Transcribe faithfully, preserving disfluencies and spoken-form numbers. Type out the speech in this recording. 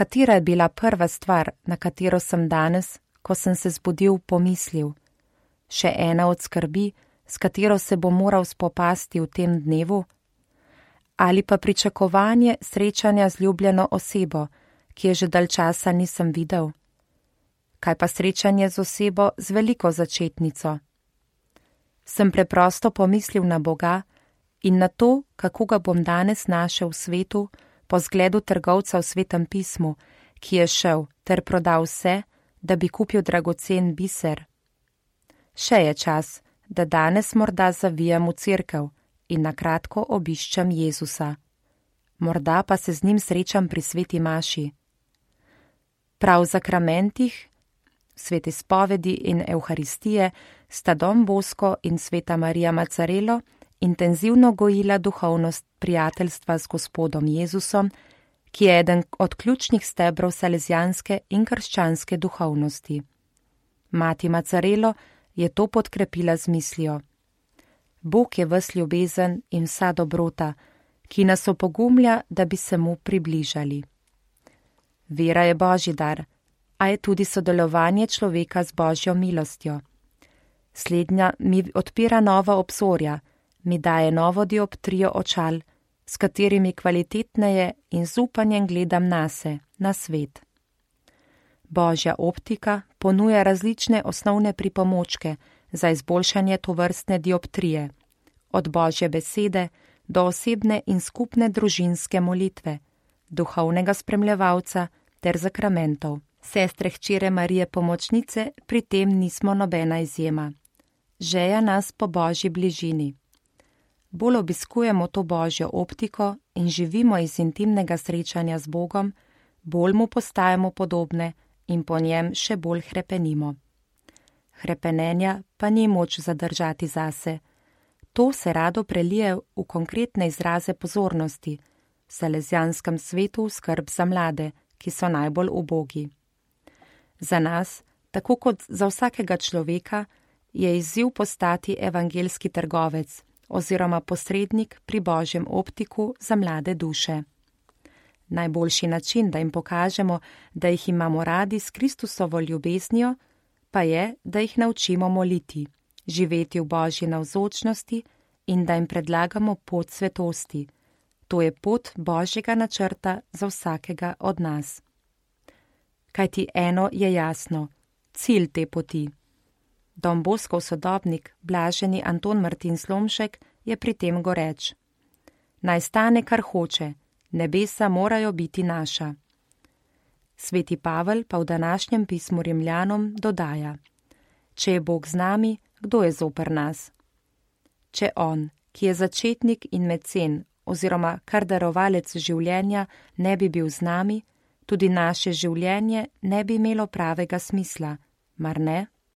Katera je bila prva stvar, na katero sem danes, ko sem se zbudil, pomislil? Še ena od skrbi, s katero se bo moral spopasti v tem dnevu? Ali pa pričakovanje srečanja z ljubljeno osebo, ki je že dalj časa nisem videl? Kaj pa srečanje z osebo z veliko začetnico? Sem preprosto pomislil na Boga in na to, kako ga bom danes našel v svetu, po zgledu trgovca v Svetem pismu, ki je šel ter prodal vse, da bi kupil dragocen biser. Še je čas, da danes morda zavijem v cerkev in na kratko obiščem Jezusa. Morda pa se z njim srečam pri sveti maši. Prav v zakramentih, sveti spovedi in evharistije sta Don Bosco in sveta Marija Macarelo intenzivno gojila duhovnost prijateljstva z Gospodom Jezusom, ki je eden od ključnih stebrov salezijanske in krščanske duhovnosti. Mati Macarelo je to podkrepila z mislijo: Bog je ves ljubezen in vsa dobrota, ki nas opogumlja, da bi se mu približali. Vera je božji dar, a je tudi sodelovanje človeka z božjo milostjo. Slednja mi odpira nova obzorja, mi daje novo dioptrijo očal, s katerimi kvalitetneje in z upanjem gledam nase, na svet. Božja optika ponuja različne osnovne pripomočke za izboljšanje tovrstne dioptrije, od božje besede do osebne in skupne družinske molitve, duhovnega spremljevalca ter zakramentov. Sestre hčere Marije Pomočnice pri tem nismo nobena izjema. Žeja nas po božji bližini. Bolj obiskujemo to božjo optiko in živimo iz intimnega srečanja z Bogom, bolj mu postajamo podobne in po njem še bolj hrepenimo. Hrepenenja pa ni moč zadržati zase. To se rado prelije v konkretne izraze pozornosti, v salezijanskem svetu skrb za mlade, ki so najbolj ubogi. Za nas, tako kot za vsakega človeka, je izziv postati evangelski trgovec oziroma posrednik pri božjem optiku za mlade duše. Najboljši način, da jim pokažemo, da jih imamo radi s Kristusovo ljubeznijo, pa je, da jih naučimo moliti, živeti v božji navzočnosti in da jim predlagamo pot svetosti. To je pot božjega načrta za vsakega od nas. Kajti eno je jasno, cilj te poti. Don Boscov sodobnik, blaženi Anton Martin Slomšek, je pri tem goreč: Naj stane, kar hoče, nebesa morajo biti naša. Sveti Pavel pa v današnjem pismu Rimljanom dodaja: Če je Bog z nami, kdo je zoper nas? Če on, ki je začetnik in mecen oziroma kar darovalec življenja, ne bi bil z nami, tudi naše življenje ne bi imelo pravega smisla, mar ne?